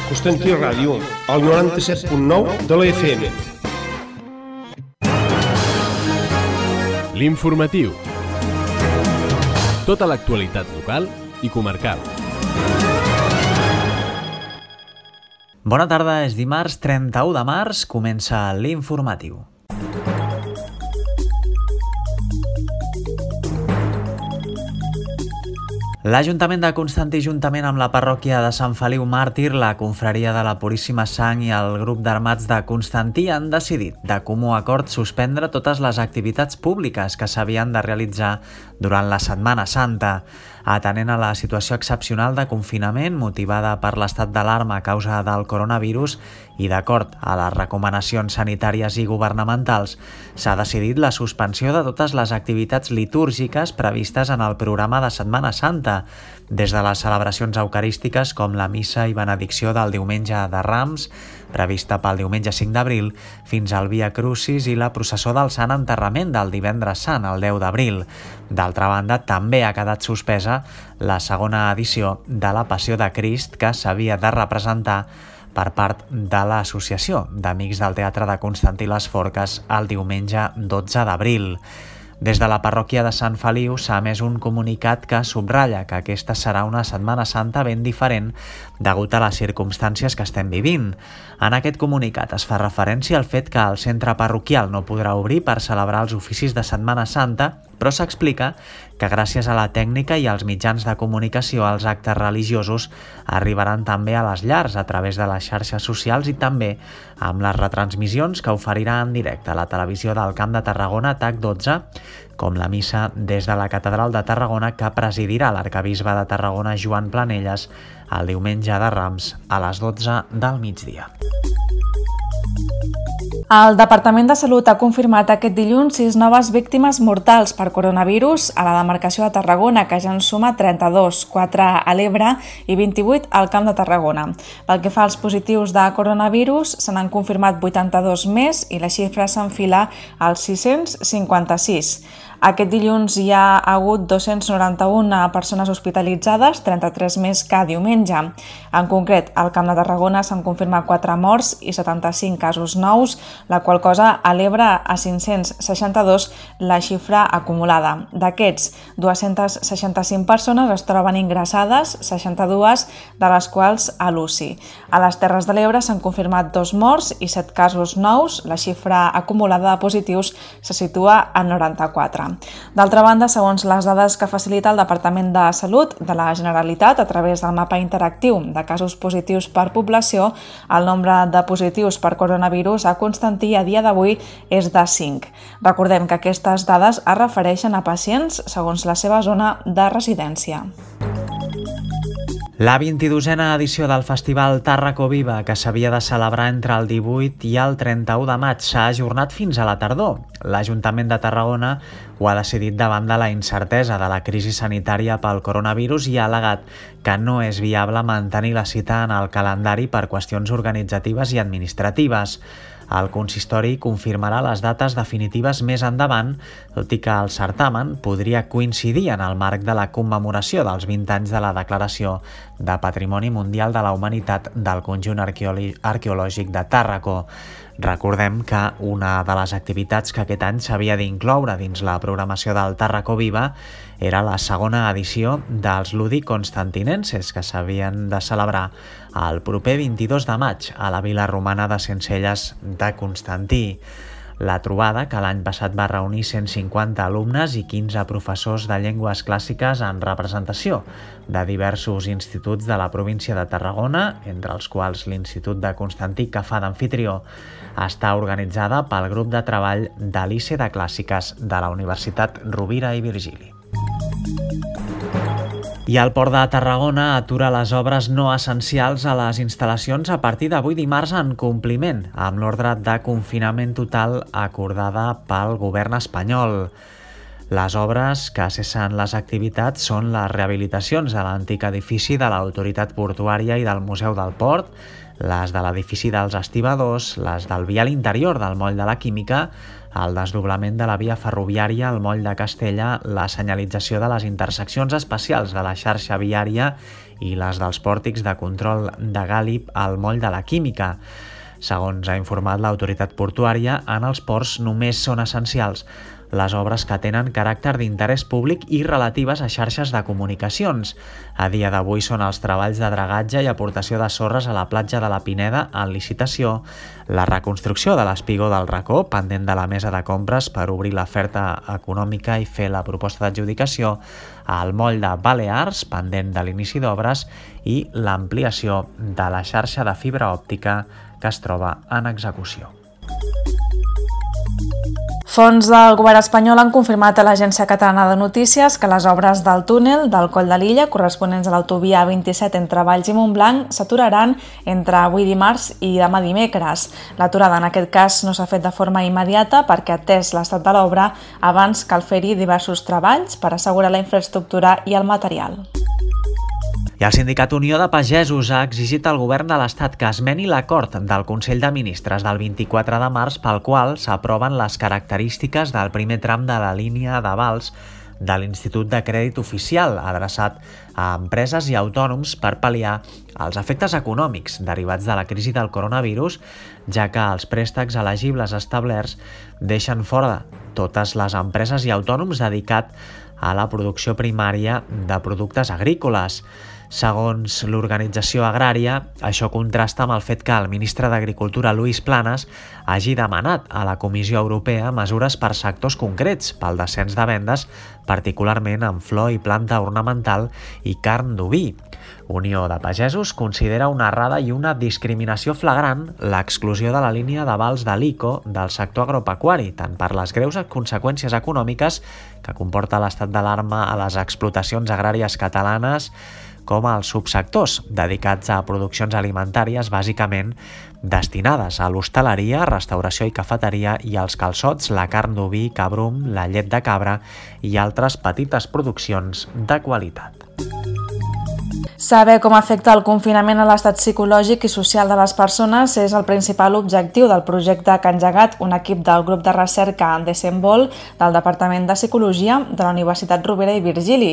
Constantí Ràdio, al 97.9 de la FM. L'informatiu. Tota l'actualitat local i comarcal. Bona tarda, és dimarts 31 de març, comença l'informatiu. L'Ajuntament de Constantí, juntament amb la parròquia de Sant Feliu Màrtir, la confraria de la Puríssima Sang i el grup d'armats de Constantí han decidit de comú acord suspendre totes les activitats públiques que s'havien de realitzar durant la Setmana Santa. Atenent a la situació excepcional de confinament motivada per l'estat d'alarma a causa del coronavirus i d'acord a les recomanacions sanitàries i governamentals, s'ha decidit la suspensió de totes les activitats litúrgiques previstes en el programa de Setmana Santa, des de les celebracions eucarístiques com la missa i benedicció del diumenge de Rams, prevista pel diumenge 5 d'abril, fins al Via Crucis i la processó del Sant Enterrament del divendres Sant, el 10 d'abril. D'altra banda, també ha quedat suspesa la segona edició de la Passió de Crist que s'havia de representar per part de l'Associació d'Amics del Teatre de Constantí les Forques el diumenge 12 d'abril. Des de la parròquia de Sant Feliu s'ha emès un comunicat que subratlla que aquesta serà una Setmana Santa ben diferent degut a les circumstàncies que estem vivint. En aquest comunicat es fa referència al fet que el centre parroquial no podrà obrir per celebrar els oficis de Setmana Santa, però s'explica que gràcies a la tècnica i als mitjans de comunicació els actes religiosos arribaran també a les llars a través de les xarxes socials i també amb les retransmissions que oferirà en directe a la televisió del Camp de Tarragona TAC12, com la missa des de la Catedral de Tarragona que presidirà l'arquebisbe de Tarragona Joan Planelles el diumenge de Rams a les 12 del migdia. El Departament de Salut ha confirmat aquest dilluns 6 noves víctimes mortals per coronavirus a la demarcació de Tarragona, que ja en suma 32, 4 a l'Ebre i 28 al Camp de Tarragona. Pel que fa als positius de coronavirus, se n'han confirmat 82 més i la xifra s'enfila als 656. Aquest dilluns hi ha hagut 291 persones hospitalitzades, 33 més que diumenge. En concret, al Camp de Tarragona s'han confirmat 4 morts i 75 casos nous, la qual cosa eleva a 562 la xifra acumulada. D'aquests, 265 persones es troben ingressades, 62 de les quals a l'UCI. A les Terres de l'Ebre s'han confirmat 2 morts i 7 casos nous, la xifra acumulada de positius se situa a 94. D'altra banda, segons les dades que facilita el Departament de Salut de la Generalitat a través del mapa interactiu de casos positius per població, el nombre de positius per coronavirus a Constantí a dia d'avui és de 5. Recordem que aquestes dades es refereixen a pacients segons la seva zona de residència. La 22a edició del Festival Tàrraco Viva, que s'havia de celebrar entre el 18 i el 31 de maig, s'ha ajornat fins a la tardor. L'Ajuntament de Tarragona ho ha decidit davant de la incertesa de la crisi sanitària pel coronavirus i ha al·legat que no és viable mantenir la cita en el calendari per qüestions organitzatives i administratives. El consistori confirmarà les dates definitives més endavant, tot i que el certamen podria coincidir en el marc de la commemoració dels 20 anys de la Declaració de Patrimoni Mundial de la Humanitat del conjunt arqueològic de Tàrraco. Recordem que una de les activitats que aquest any s'havia d'incloure dins la programació del Tàrraco Viva era la segona edició dels Ludi Constantinenses, que s'havien de celebrar el proper 22 de maig a la vila romana de Sencelles de Constantí. La trobada, que l'any passat va reunir 150 alumnes i 15 professors de llengües clàssiques en representació de diversos instituts de la província de Tarragona, entre els quals l'Institut de Constantí, que fa d'amfitrió, està organitzada pel grup de treball de l'ICE de Clàssiques de la Universitat Rovira i Virgili. I el Port de Tarragona atura les obres no essencials a les instal·lacions a partir d'avui dimarts en compliment amb l'ordre de confinament total acordada pel govern espanyol. Les obres que cessen les activitats són les rehabilitacions de l'antic edifici de l'Autoritat Portuària i del Museu del Port, les de l'edifici dels estibadors, les del vial interior del Moll de la Química, el desdoblament de la via ferroviària al moll de Castella, la senyalització de les interseccions especials de la xarxa viària i les dels pòrtics de control de Gàlib al moll de la Química. Segons ha informat l'autoritat portuària, en els ports només són essencials les obres que tenen caràcter d'interès públic i relatives a xarxes de comunicacions. A dia d'avui són els treballs de dragatge i aportació de sorres a la platja de la Pineda en licitació, la reconstrucció de l'espigó del Racó, pendent de la mesa de compres per obrir l'oferta econòmica i fer la proposta d'adjudicació, al moll de Balears, pendent de l'inici d'obres, i l'ampliació de la xarxa de fibra òptica que es troba en execució. Fons del govern espanyol han confirmat a l'Agència Catalana de Notícies que les obres del túnel del Coll de l'Illa, corresponents a l'autovia 27 entre Valls i Montblanc, s'aturaran entre avui dimarts i demà dimecres. L'aturada en aquest cas no s'ha fet de forma immediata perquè, atès l'estat de l'obra, abans cal fer-hi diversos treballs per assegurar la infraestructura i el material. I el Sindicat Unió de Pagesos ha exigit al govern de l'Estat que esmeni l'acord del Consell de Ministres del 24 de març pel qual s'aproven les característiques del primer tram de la línia d'avals de l'Institut de Crèdit Oficial, adreçat a empreses i autònoms per pal·liar els efectes econòmics derivats de la crisi del coronavirus, ja que els préstecs elegibles establerts deixen fora totes les empreses i autònoms dedicats a la producció primària de productes agrícoles. Segons l'organització agrària, això contrasta amb el fet que el ministre d'Agricultura, Luis Planas, hagi demanat a la Comissió Europea mesures per sectors concrets pel descens de vendes, particularment en flor i planta ornamental i carn d'oví. Unió de Pagesos considera una errada i una discriminació flagrant l'exclusió de la línia d'avals de l'ICO del sector agropecuari, tant per les greus conseqüències econòmiques que comporta l'estat d'alarma a les explotacions agràries catalanes, com als subsectors dedicats a produccions alimentàries bàsicament destinades a l'hostaleria, restauració i cafeteria i als calçots, la carn d'oví, cabrum, la llet de cabra i altres petites produccions de qualitat. Saber com afecta el confinament a l'estat psicològic i social de les persones és el principal objectiu del projecte que ha engegat un equip del grup de recerca Desenvol del Departament de Psicologia de la Universitat Rovira i Virgili.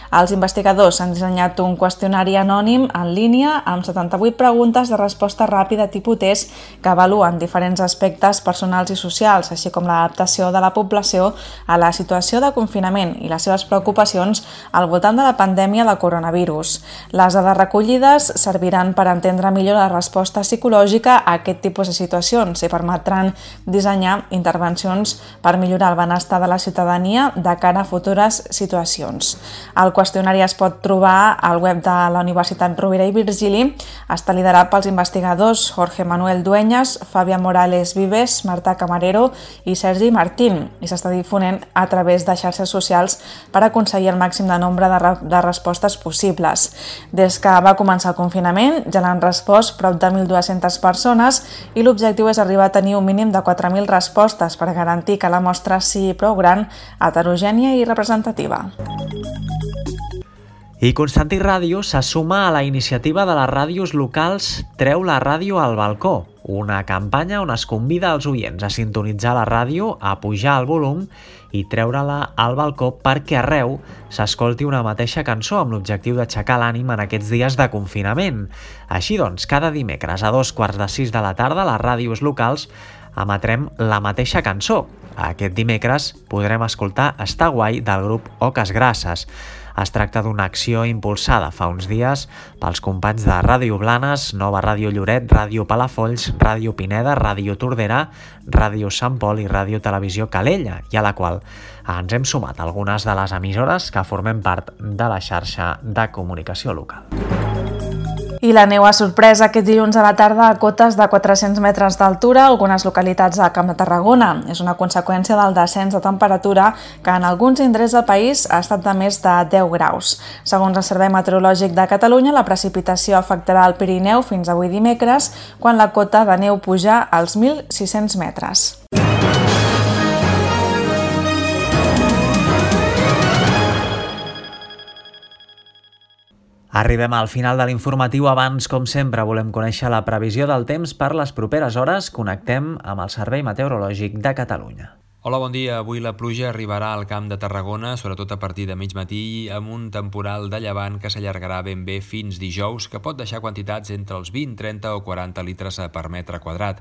Els investigadors han dissenyat un qüestionari anònim en línia amb 78 preguntes de resposta ràpida tipus test que avaluen diferents aspectes personals i socials, així com l'adaptació de la població a la situació de confinament i les seves preocupacions al voltant de la pandèmia de coronavirus. Les dades recollides serviran per entendre millor la resposta psicològica a aquest tipus de situacions i permetran dissenyar intervencions per millorar el benestar de la ciutadania de cara a futures situacions. El qüestionari es pot trobar al web de la Universitat Rovira i Virgili, està liderat pels investigadors Jorge Manuel Dueñas, Fàbia Morales Vives, Marta Camarero i Sergi Martín i s'està difonent a través de xarxes socials per aconseguir el màxim de nombre de respostes possibles. Des que va començar el confinament ja l'han respost prop de 1.200 persones i l'objectiu és arribar a tenir un mínim de 4.000 respostes per garantir que la mostra sigui prou gran, heterogènia i representativa. I Constantí Ràdio se suma a la iniciativa de les ràdios locals Treu la ràdio al balcó, una campanya on es convida als oients a sintonitzar la ràdio, a pujar el volum i treure-la al balcó perquè arreu s'escolti una mateixa cançó amb l'objectiu d'aixecar l'ànim en aquests dies de confinament. Així doncs, cada dimecres a 5:45 de la tarda les ràdios locals emetrem la mateixa cançó. Aquest dimecres podrem escoltar Està guai del grup Oques Grasses. Es tracta d'una acció impulsada fa uns dies pels companys de Ràdio Blanes, Nova Ràdio Lloret, Ràdio Palafolls, Ràdio Pineda, Ràdio Tordera, Ràdio Sant Pol i Ràdio Televisió Calella, i a la qual ens hem sumat algunes de les emissores que formem part de la xarxa de comunicació local. I la neu ha sorprès aquest dilluns a la tarda a cotes de 400 metres d'altura a algunes localitats del Camp de Tarragona. És una conseqüència del descens de temperatura que en alguns indrets del país ha estat de més de 10 graus. Segons el Servei Meteorològic de Catalunya, la precipitació afectarà el Pirineu fins avui dimecres, quan la cota de neu puja als 1.600 metres. Arribem al final de l'informatiu. Abans, com sempre, volem conèixer la previsió del temps per les properes hores. Connectem amb el Servei Meteorològic de Catalunya. Hola, bon dia. Avui la pluja arribarà al Camp de Tarragona, sobretot a partir de mig matí, amb un temporal de llevant que s'allargarà ben bé fins dijous, que pot deixar quantitats entre els 20, 30 o 40 litres per metre quadrat.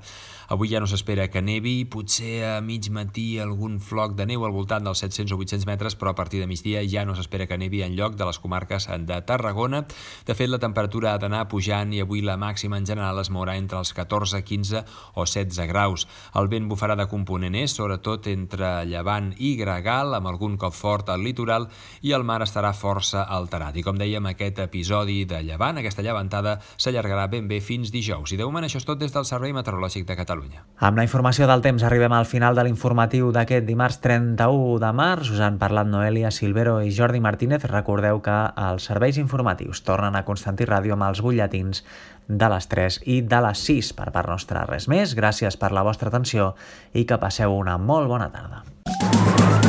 Avui ja no s'espera que nevi, potser a mig matí algun floc de neu al voltant dels 700 o 800 metres, però a partir de migdia ja no s'espera que nevi enlloc de les comarques de Tarragona. De fet, la temperatura ha d'anar pujant i avui la màxima en general es mourà entre els 14, 15 o 16 graus. El vent bufarà de component est, sobretot entre llevant i gregal, amb algun cop fort al litoral, i el mar estarà força alterat. I com dèiem, aquest episodi de llevant, aquesta llevantada, s'allargarà ben bé fins dijous. I de moment això és tot des del Servei Meteorològic de Catalunya. Amb la informació del temps arribem al final de l'informatiu d'aquest dimarts 31 de març. Us han parlat Noelia Silvero i Jordi Martínez. Recordeu que els serveis informatius tornen a Constantí Ràdio amb els butlletins de les 3 i de les 6. Per part nostra res més, gràcies per la vostra atenció i que passeu una molt bona tarda.